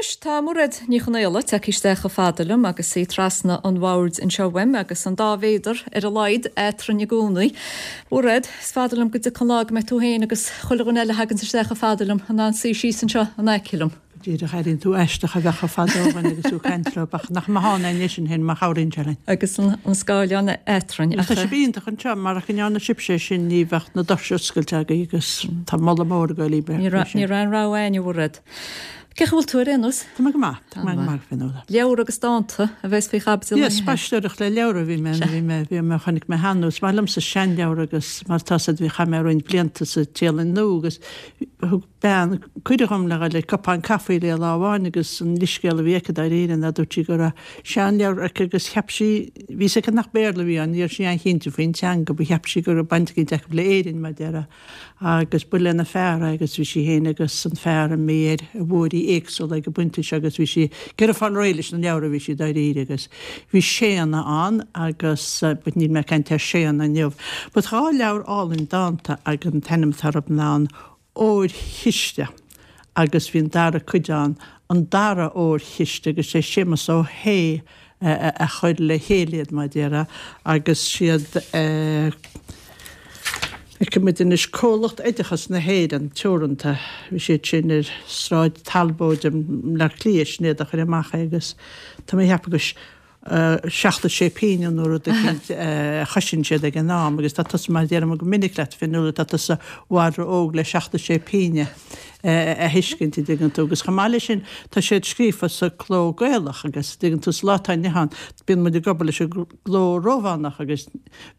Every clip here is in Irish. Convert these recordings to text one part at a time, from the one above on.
Anois tá Mairéad Ní Chonaola tagtha isteach chomh fada liom agus í trasna an bhoird anseo uaim agus an dá mhéadar ar a laghad eatrainn i gcónaí. Mairéad, is fada liom go dtiocfaidh an lá go mbeidh tú féin agus chuile dhuine eile a thaganns isteach chomh fada liom in ann suí síos anseo in aice liom. Go díreach, airíonn tú aisteach a bheith chomh fada ó dhuine agus tú ag caint leo, ach nach maith ann é sin féin má chabhraíonn sé linn. Agus an scáileán eatrainn. Tá sibh iontach anseo, murach go ndearna sibhse é sin ní bheadh na doirse oscailte agaibh agus tá moladh mór ag goil libh. Ní raibh aon rogha againn, a Mhairéad. Cén chaoi a bhfuil tú ar aon nós? Tá mé go maith, tá mé go maith, Fionnuala. Leabhar agus dánta a bheas faoi chaibidil inniu. Yes, spaisteoireacht le leabhar a bhí mé, bhí mé, bhí mé, chonaic mé cheana, is maith liomsa seanleabhar agus mar atá 'fhios a'd bhí, chaith mé roinnt blianta sa Téalainn Nua agus thug bean cuireadh dhom le dhul ag cupán caife léi lá amháin agus an leithscéal a bhí aici dáiríre ná dúirt sí go raibh seanleabhar aici agus cheap sí, bhí 'fhios aici nach Béarla a bhí ann, ní raibh sí an-chinnte faoin teanga, but cheap sí go raibh baint eicínt acu le Éirinn mar a déarfá. Agus ba lena fear é agus bhí sí féin agus an fear imithe ar bhóithrí éagsúla ag an bpointe seo agus bhí sí ag iarraidh fáil réidh leis na leabhra a bhí sí dáiríre agus bhí Séanna ann agus but níl mé ag caint ar Séanna inniu. But 2 leabhar álainn dánta ag an t-ainm atá orthu ná an Órchiste agus bhí an dara cuid ann, an Dara Órchiste agus sé Séamus Ó hAodha a chuir le chéile iad, mar a déarfá, agus siad feicfidh muid anois, Comhlucht Oideachas na hÉireann Teoranta, bhí siad sin ar Sráid Talbóid i mBleá Cliath, sin iad a chuir amach é agus tá mé a cheapadh gur 76 pingin nó rud eicínt a chosain siad ag an am agus tá tusa, mar a deirim go minic leat, Fionnuala, tá tusa i bhfad ró-óg le 76 pingin a thuiscint, an dtuigeann tú. Agus chomh maith leis sin, tá siad scríofa sa cló Gaelach agus, an dtuigeann tú, sa lá atá inniu ann, bíonn muid ag obair leis an gcló Rómhánach agus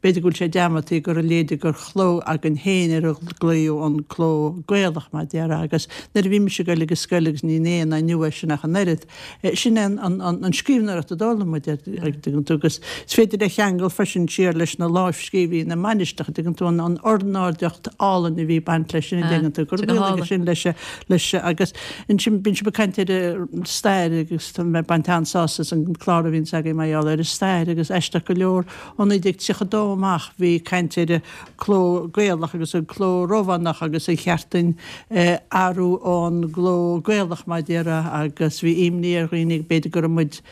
b'fhéidir go bhfuil sé dearmadta gur a leithéid gur chló againn féin ar a glaodh an cló Gaelach, mar a déarfá, agus nuair a bhí mise ag goil ag an scoil agus ní aon ní nua é sin ach an oiread, Sin é an scríbhneoireacht a d'fhoghlaim muid, an dtuigeann tú, agus is féidir é a cheangal freisin siar leis na lámhscríbhinní na mainistreacha, an dtuigeann tú, an ornáideacht álainn a bhí ag baint leis sin, an dtuigeann tú, gur rialaigh sin leis, leis agus ansin bíonn sibh ag caint ar an stair agus tá mé ag baint an-sásamh as an clár a bhíonns agaibh mar gheall ar an stair agus aisteach go leor ó 1932 amach bhí caint ar cló Gaelach agus an cló Rómhánach agus ar cheart dúinn athrú ón gcló Gaelach mar a déarfá agus bhí imní ar dhaoine b'fhéidir go raibh muid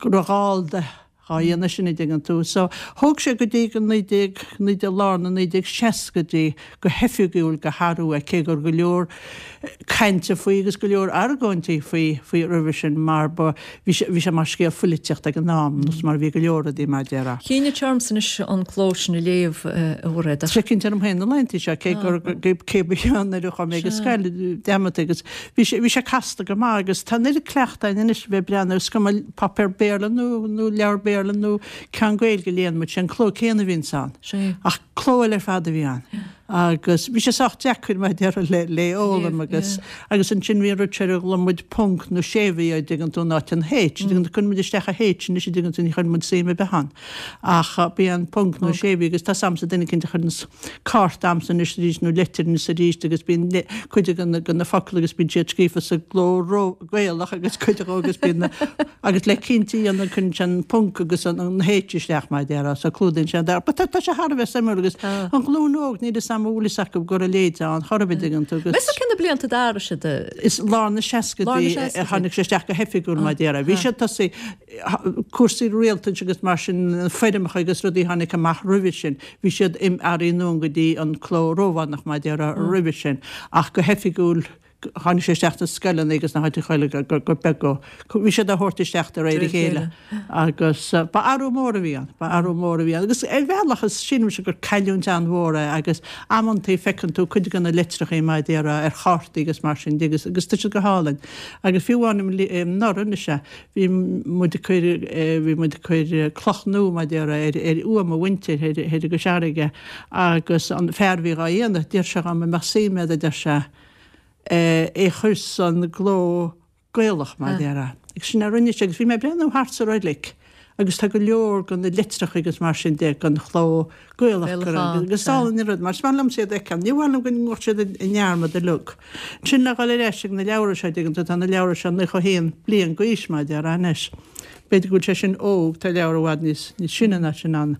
go raibh gallda dhá dhéanamh sin an dtuigeann tú. So thóg sé go dtí go 19 19 lár na 1960idí go hoifigiúil go hathrú é cé go raibh go leor cainte faoi agus go leor argóintí faoi faoi roimhe sin mar ba bhí sé bhí sé mar scéal phoilitíochta ag an am nós mar a bhí go leor rudaí mar a déarfá. Choinnigh sé ormsa anois an cló sin a léamh a Mhairéad. Tá sé cinnte orm féin na laethanta seo cé gur cé ba cheann nuair a chuaigh mé ag an scoil dearmadta agus bhí sé bhí sé casta go maith agus tá an oiread cleachtaidh againn anois a bheith ag breathnú is cuma páipéar Béarla nó nó leabhar Béarla nó ceann Gaeilge a léann muid sé an cló céanna a bhíonns ann ach cló eile ar fad a bhí ann. Agus bhí sé sách deacair mar a déarfá le le fhoghlaim agus agus ansin bhí an rud seo ar a ghlaonn muid ponc nó séimhiú an dtuigeann tú in áit an H. An dtuigeann tú cuireann muid isteach an H anois an dtuigeann tú ní chuireann muid suim ar bith ann. Ach b'é an ponc nó séimhiú agus tá 's a'msa duine eicínt a chuireanns cárta a'msa anois arís nó leitir anois arís agus bíonn cuid de na de na focail agus bíonn siad scríofa sa gcló ró Gaelach agus cuid acu agus bíonn na agus le cinnte a dhéanamh cuireann sé an ponc agus an an H isteach mar a déarfá so clúdaíonn sé an dara. But tá tá sé thar a bheith suimiúil agus an ghlúin óg níl 'fhios a'm an bhfuil 'fhios acu go raibh a leithéid ann chor ar bith an dtuigeann tú agus Meas tú cé na blianta a d'athraigh siad a Is lár na seascaidí a tháinig sé isteach go hoifigiúil mar a déarfá. Bhí sé tosaithe cúrsaí rialtais agus mar sin foirmeacha agus rudaí a tháinig amach roimhe sin bhí siad athraithe anonn go dtí an cló Rómhánach mar a déarfá roimhe sin ach go hoifigiúil Tháinig sé isteach sna scoileanna agus na háiteacha eile go beag go. Bhí siad á thabhairt isteach de réir a chéile agus ba athrú mór a bhí ann, ba athrú mór a bhí ann. Agus ar bhealach is sílimse gur cailliúint an-mhór é agus amantaí feiceann tú cuid de na litreachaí mar a déarfá ar chártaí agus mar sin de agus agus tá siad go hálainn. Agus fiú amháin anuraidh anois é, bhí muid ag cur, bhí muid ag cur cloch nua mar a déarfá ar ar uaigh mo mhuintir thoir i gCois Fharraige agus an fear a bhí dhá dhéanamh, d'iarr sé dhom an mbeadh suim a'd a deir sé, é a chur san gcló Gaelach, mar a déarfá. Agus sin a rinne sé, agus bhí mé ag breathnú thart sa reilig. agus tá go leor de na litreacha agus mar sin de den chló Gaelach curtha ann agus is álainn an rud mar is maith liomsa iad a fheiceáil. Ní mhaith liom go ngabhadh siad i ndearmad uilig. Ansin le dhul ar ais ag na leabhra seo, dtuigeann tú, tá na leabhra seo 91 bliain d'aois mar a déarfá anois. B'fhéidir go bhfuil sé sin óg, tá leabhar i bhfad níos níos sine ná sin ann.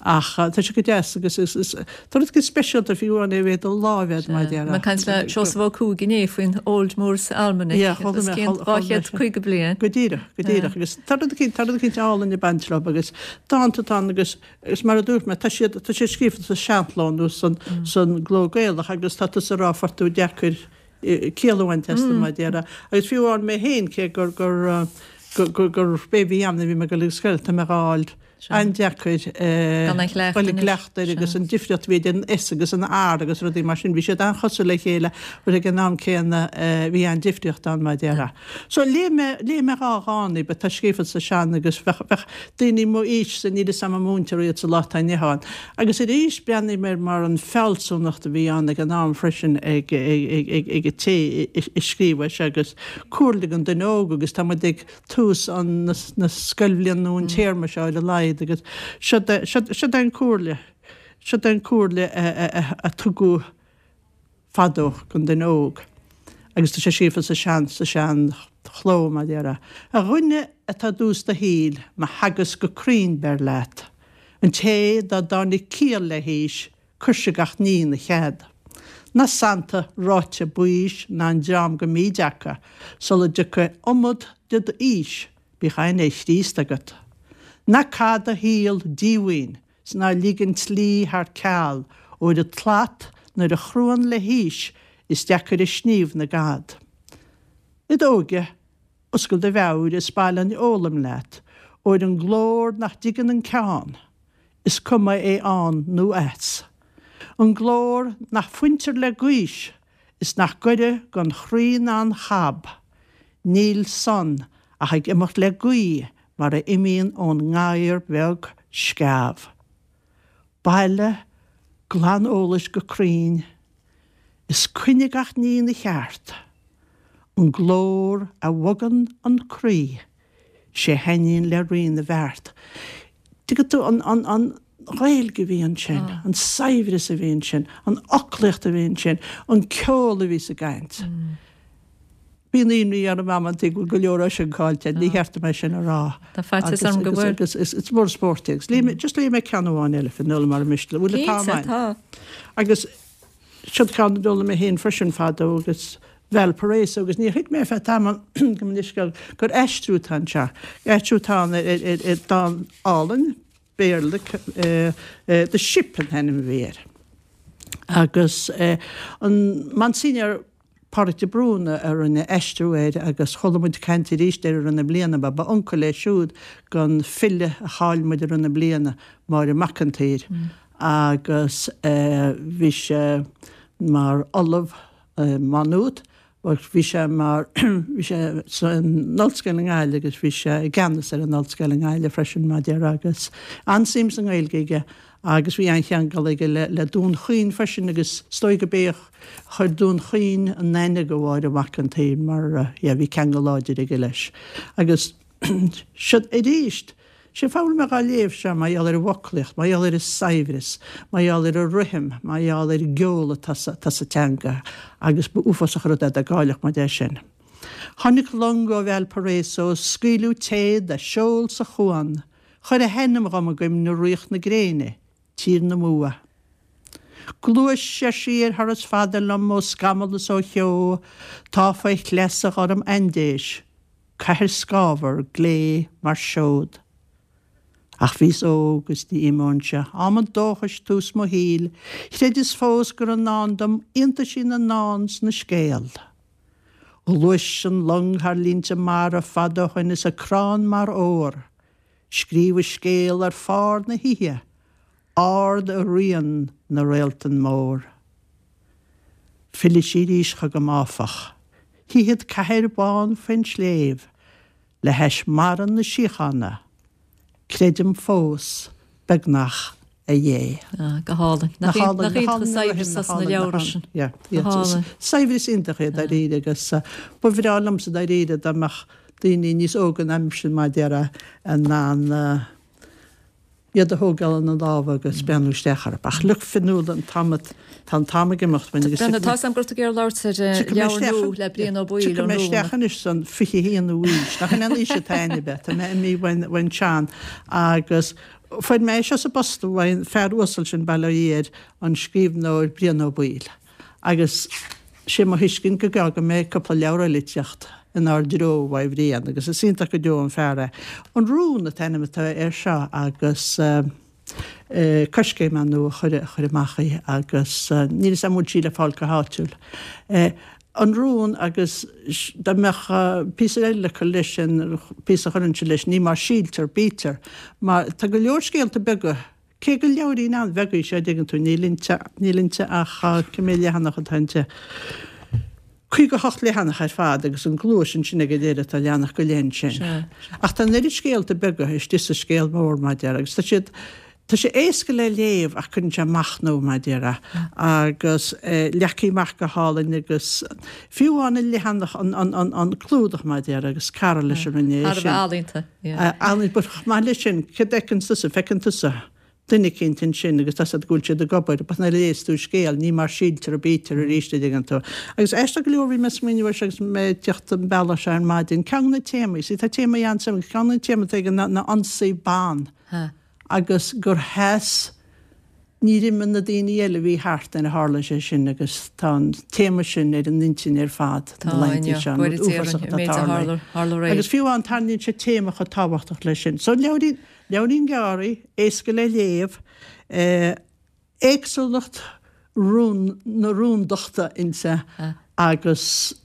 Ach tá sé go deas agus is is tá rud éigin speisialta fiú amháin é a bheith i do láimh agat mar a déarfá. Bhí mé ag caint le Seosamh Ó Cuaig inné faoin Old Moore's Almanac Yeah, chuala os mé, cionn chuala mé sin. 250 bliain. Go díreach, go díreach. Agus tá rud eicínt, tá rud eicínt álainn ag baint leo agus dánta atá ann agus agus mar a dúirt mé, tá siad, tá siad scríofa sa seanchló nó san, san gcló Gaelach agus tá tusa ag rá fuair tú deacair ciall a bhaint astu mar a déarfá. Agus fiú amháin mé féin, cé gur, gur, gur, gur b'é a bhí ann nuair a bhí mé ag dul ag scoil, tá mé dhá fháil an-deacair dul i gcleachtadh air agus an difríocht a bhí idir an S agus an R agus rudaí mar sin, bhí siad an-chosúil le chéile but ag an am céanna bhí an-difríocht ann mar a déarfá. So léigh mé, léigh mé dá dhán daoibh atá scríofa sa sean agus bheadh, bheadh daoine mo aois-sa, níl 'fhios a'm an múintear iad sa lá atá inniu ann. Agus arís breathnaím air mar an fealsúnacht a bhí ann ag an am freisin ag, ag, ag, ag an té a scríobh é seo agus comhairle don duine óg agus tá muid ag tús an, na, na scoilbhliana nó an téarma seo ar a laghad agus siod é, siod, siod é an comhairle, siod é an comhairle a, a, a, a tugadh fadó don duine óg agus tá sé scríofa sa sean, sa sean chló mar a déarfá. A dhuine atá i dtús do shaoil, mo theagasc go cruinn beir leat. An té dá dtáinig ciall le haois, cuirse gach ní ina chead. Ná santa ráite baois ná an dream go mbíd acu, sula dtiocfaidh iomad de d'aois, bíodh aithne ar Chríost agat. Ná caith do shaol díomhaoin, 's ná lig an tslí thar ceal, óir an tslat nuair a chruann le haois is deacair a sníomh na gcad. I d'óige, oscail do mheabhair is bailigh an fhoghlaim leat, óir an glór nach dtuigeann an ceann, is cuma é ann nó as. An glór nach fuintear le gaois is nach gaire don chroí ná an chab, níl san ach ag imeacht le gaoith mar a imíonn ón ngadhar beag sceamh. Bailigh glan eolais go cruinn, is coinnigh gach ní ina cheart. An glór a bhogann an croí, 'sé thaitníonn le Rí na bhfeart. Tuigeann tú, an, an, an Ghaeilge a bhí ansin, an saibhreas a bhí ansin, an fhoclaíocht a bhí ansin, an ceol a bhí sa gcaint. Bíonn imní orm amantaí go bhfuil go leor sin caillte, ní cheart dom é sin a rá. Tá faitíos orm go bhfuil. Agus is mór an spórt é. Agus léigh mé, just léigh mé ceann amháin eile, Fionnuala, mara miste. Bhfuil an t-am Cinnte, tá. Agus siod ceann a d'fhoghlaim mé féin freisin fadó agus Valparaiso agus níor thuig mé ar feadh tamaill gabh mo leithscéal gur aistriú atá anseo. Aistriú atá ann ar ar dán álainn Béarla, The Ship an t-ainm a bhí air. Agus an Monsignor Pádraig de Brún a rinne aistriú air agus chuala muid caint arís air i rith na bliana, ba ba uncail é siúd don file a chaill muid i rith na bliana, Máire Mac an tSaoir, agus bhí sé mar ollamh i Má Nuat agus bhí sé mar, bhí sé san ollscoil i nGaillimh agus bhí sé i gceannas ar an ollscoil i nGaillimh freisin, mar a déarfá, agus an-suim sa nGaeilge aige agus bhí an-cheangal aige le Dún Chaoin freisin agus is dóigh gurb é a chuir Dún Chaoin in aithne do Mháire Mhac an tSaoir mar yeah bhí ceangal láidir aige leis. Agus siod arís, sé an fáth a bhfuil mé dhá léamh seo mar gheall ar an bhfoclaíocht, mar gheall ar an saibhreas, mar gheall ar an rithim, mar gheall ar an gceol atá sa, atá sa teanga agus ba uafásach an rud é dá gcaillfeadh muid é sin. Tháinig long ó Valparaiso, scaoileadh téad a seol sa chuan, Chuir a hainm dhom i gcuimhne Ríocht na Gréine, Tír na mBua. Gluais, ar sí, ar thuras fada liom ó scamall is ó cheo, tá faoi shleasa ghorm Aindéis, cathair scáthmhar, glé mar seod. Ach bhíos óg is ní imeoinnse, am an dóchais, tús mo shaoil, chreideas fós gur i ndán dom iontaisí na ndán 's na scéal. Ghluais an long thar línte mara fada ó shoin is a crann mar ór. Scríobh a scéal ar phár na hoíche, ard i rian na réaltan mór. Fillfidh sí arís chugam áfach, tchífead cathair bhán faoin sléibh, le hais mara na síochána. Creidim fós, beagnach, a Dhé. Ah, go hálainn. Nach iontach an saibhreas as na leabhra sin. Go hálainn. Saibhreas iontach é dáiríre agus ba bhreá liomsa dáiríre dá mbeadh. daoine níos óga ná mise mar a déarfá in ann iad a thógáil ina lámha agus breathnú isteach orthu. Ach look Fionnuala, an t-am, tá an t-am ag imeacht uainn agus tiocfaidh mé. Tá 'fhios a'm go raibh tú ag iarraidh labhairt ar leabhar nua le Brian Ó Baoill, Tiocfaidh mé isteach anois san 21ú aois, nach in aon aois atá a'inn ab ea? Tá mé imithe uainn sean agus fuair mé é seo sa bpost uaidh an fear uasal sin, bail ó Dhia air, an scríbhneoir Brian Ó Baoill. Agus sé mo thuiscint go gá go mbeidh cúpla leabhar eile ag teacht inár dtreo uaidh Bhrian agus is iontach go deo an fear é. An Rún an t-ainm atá air seo agus Coiscéim ar ndóigh a chuir amach í agus níl 'fhios a'm an bhfuil sí le fáil go háitiúil. An Rún agus dá mbeadh píosa eile le cur leis sin, píosa a chuirfinnse leis, ní mar síltear, bítear, mar tá go leor scéalta beaga Cé gur leabhairín an-bheag í seo, an dtuigeann tú, níl inti, níl inti ach cé mhéad leathanach atá inti? 58 leathanach ar fad agus an gluais ansin ag an deireadh, tá leathanach go leith ansin. Ach tá an oiread scéalta beaga istigh sa scéal mór, mar a déarfá, agus tá siad, tá sé éasca le léamh ach cuireann sé ag machnamh, mar a déarfá, agus leagtha amach go hálainn agus fiú amháin an leathanach, an, an, an, an clúdach, mar a déarfá, agus cara leis a rinne é sin. Thar a bheith ealaíonta. Ealaíonta, but chomh maith leis sin, céard a fheiceann tusa? Feiceann tusa duine eicínt ansin agus tá 's agat go bhfuil siad ag obair, but nuair a léas tú an scéal, ní mar síltear a bítear arís, a dtuigeann tú. Agus aisteach go leor, bhí mé ag smaoineamh air seo agus mé ag teacht an bealach seo ar maidin, ceann de na téamaí, see tá téamaí an-suimiúil, ceann de na téamaí atá aige ná ná ionsaí ban agus gur sheas Níor imigh na daoine eile a bhí thart nuair a tharla sé sin agus tá an téama sin ar an intinn ar fad na laethanta seo, an rud uafásach atá tarlaithe. Agus fiú amháin tarraingíonn sé téama chomh tábhachtach leis sin. So leabhairín, leabhairín gearr, éasca le léamh, éagsúlacht rún, na rúndachta inti agus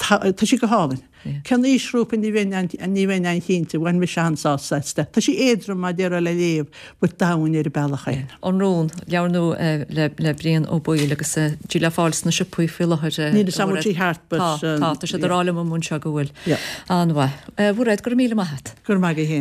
Tá sí go hálainn. Cén aoisghrúpa ní bheinn ní bheinn an-chinnte, bhain mise an-sásamh aisti. Tá sí éadrom mar a déarfá le léamh but domhain ar an bealach féin. An Rún, leabhar nua le le Brian Ó Baoill agus tá sí le fáil sna siopaí faoi láthair. Níl 'fhios a'm an bhfuil sí thart but. Tá, tá, tá siad ag rá liom anseo go bhfuil. An-mhaith. A Mhairéad, go raibh míle maith a't. Go raibh maith agat féin.